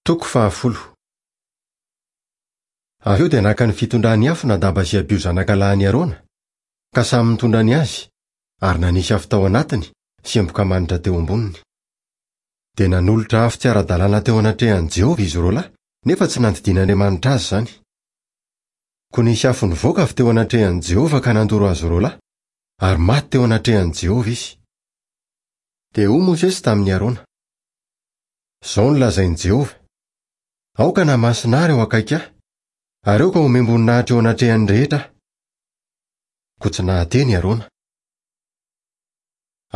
Toko fahafolo. Avy eo dia naka ny fitondrany afo Nadaba sy Abio zanaka lahin'i Arona, ka samy nitondra ny azy, ary nanisy afo tao anatiny sy emboka manitra teo amboniny. Dia nanolotra afo tsy ara-dalàna teo anatrehan'i Jehovah izy roalahy, nefa tsy nandidian'Andriamanitra azy izany. Koa nisy afo nivoaka avy teo anatrehan'i Jehovah ka nandoro azy roalahy, ary maty teo anatrehan'i Jehovah izy. Dia hoy Mosesy tamin'i Arona, Izao no lazain'i Jehovah, 'Aoka hanamasina ahy ireo akaiky ahy, ary aoka homem-boninahitra eo anatrehan'ny rehetra aho. Koa tsy nahateny i Arona.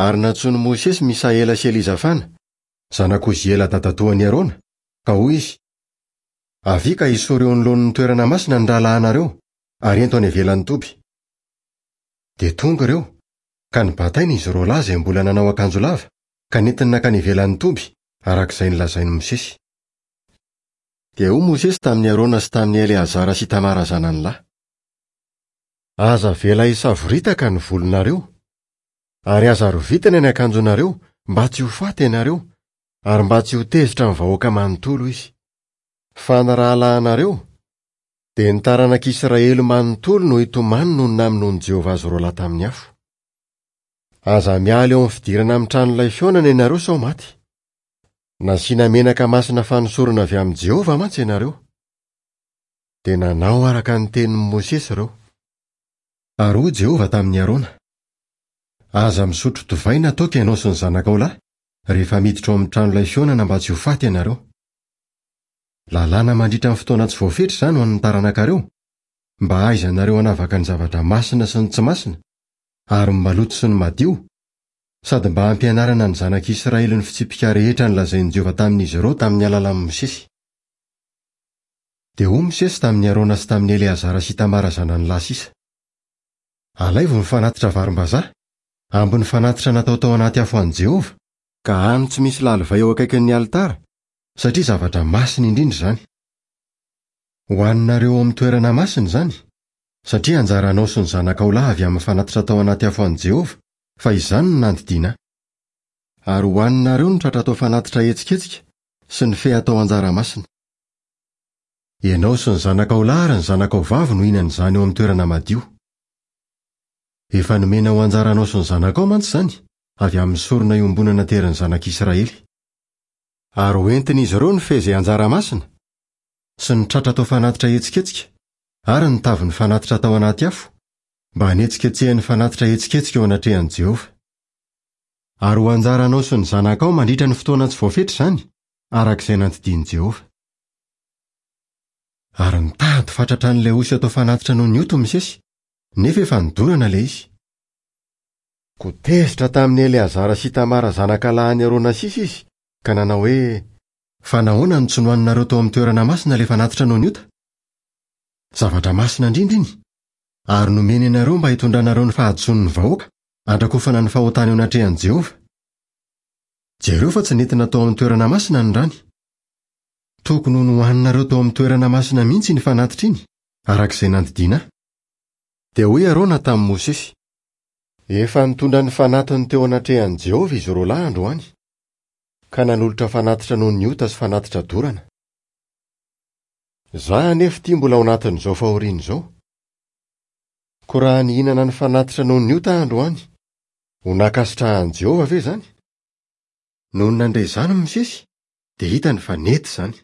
Ary nantsoin'i Mosesy Misaela sy Elizafana, zanak'i Oziela dadatoan'i Arona, ka hoy izy, Avia ka esory eo anoloan'ny toerana masina ny rahalahinareo, ary ento any ivelan'ny toby. Dia tonga ireo, ka nibataina izy roalahy izay mbola nanao akanjo lava, ka nentiny nankany ivelan'ny toby, araka izay nolazain'i Mosesy. Dia hoy Mosesy tamin'i Arona sy tamin'i Eleazara sy Itamara zanany lahy, Aza avela hisavoritaka ny volonareo, ary aza rovitina ny akanjonareo, mba tsy ho faty ianareo, ary mba tsy ho tezitra amin'ny vahoaka manontolo izy. Fa ny rahalahinareo, dia ny taranak'Israely manontolo no hitomany noho ny namonoan'i Jehovah azy roalahy tamin'ny afo. Aza miala eo amin'ny fidirana amin'ny tranolay fihaonana ianareo sao maty. Nasiana menaka masina fanosorana avy amin'i Jehovah mantsy ianareo. Dia nanao araka ny tenin'i Mosesy ireo. Ary hoy Jehovah tamin'i Arona, Aza misotro divay na toaka ianao sy ny zanakao lahy, rehefa miditra ao amin'ny tranolay fihaonana mba tsy ho faty ianareo. Lalàna mandritra ny fotoana tsy voafetra izany ho an'ny taranakareo, mba hahaizanareo hanavaka ny zavatra masina sy ny tsy masina, ary ny maloto sy ny madio, sady mba hampianarana ny zanak'Israely ny fitsipika rehetra nolazain'i Jehovah tamin'izy ireo tamin'ny alalan'i Mosesy. Dia hoy Mosesy tamin'i Arona sy tamin'i Eleazara sy Itamara zanany lahy sisa, Alaivo ny fanatitra varimbazaha, ambin'ny fanatitra natao tao anaty afo an'i Jehovah, ka hano tsy misy lalivay eo akaikin'ny alitara, satria zavatra masina indrindra izany. Hohaninareo ao amin'ny toerana masina izany, satria anjaranao sy ny zanakao lahy avy amin'ny fanatitra atao anaty afo an'i Jehovah, fa izany no nandidiana ahy. Ary hohaninareo ny tratra atao fanatitra ahetsiketsika sy ny fe atao anjara masina. Ianao sy ny zanakao lahy ary ny zanakao vavy no hihinana izany eo amin'ny toerana madio. Efa nomena ho anjaranao sy ny zanakao mantsy izany, avy amin'ny sorona iombonana aterin'ny zanak'Israely. Ary hoentin'izy ireo ny fe izay anjara masina, sy ny tratra atao fanatitra ahetsiketsika, ary ny tavin'ny fanatitra atao anaty afo, mba hanetsiketsehan'ny fanatitra ahetsiketsika eo anatrehan'i Jehovah. Ary ho anjaranao sy ny zanakao mandritra ny fotoana tsy voafetra izany, araka izay nandidian'i Jehovah. Ary nitady fatratra an'ilay osy atao fanatitra noho ny ota Mosesy, nefa efa nodorana ilay izy. Koa tezitra tamin'i Eleazara sy Itamara zanaka lahin'i Arona sisa izy, ka nanao hoe, Fa nahoana no tsy nohaninareo tao amin'ny toerana masina ilay fanatitra noho ny ota? Zavatra masina indrindra iny, ary nomeny anareo mba hitondranareo ny fahadisoan'ny vahoaka handrakofana ny fahotany eo anatrehan'i Jehovah. Jereo fa tsy nentina tao amin'ny toerana masina ny rany. Tokony ho nohaninareo tao amin'ny toerana masina mihitsy iny fanatitra iny, araka izay nandidiana ahy. Dia hoy Arona tamin'i Mosesy, Efa nitondra ny fanatiny teo anatrehan'i Jehovah izy roalahy androany, ka nanolotra fanatitra noho ny ota sy fanatitra dorana. Izaho anefa ity mbola ao anatin'izao fahoriana izao. Koa raha nihinana ny fanatitra noho ny ota aho androany, ho nankasitrahan'i Jehovah ve izany? Nony nandre izany Mosesy, dia hitany fa nety izany.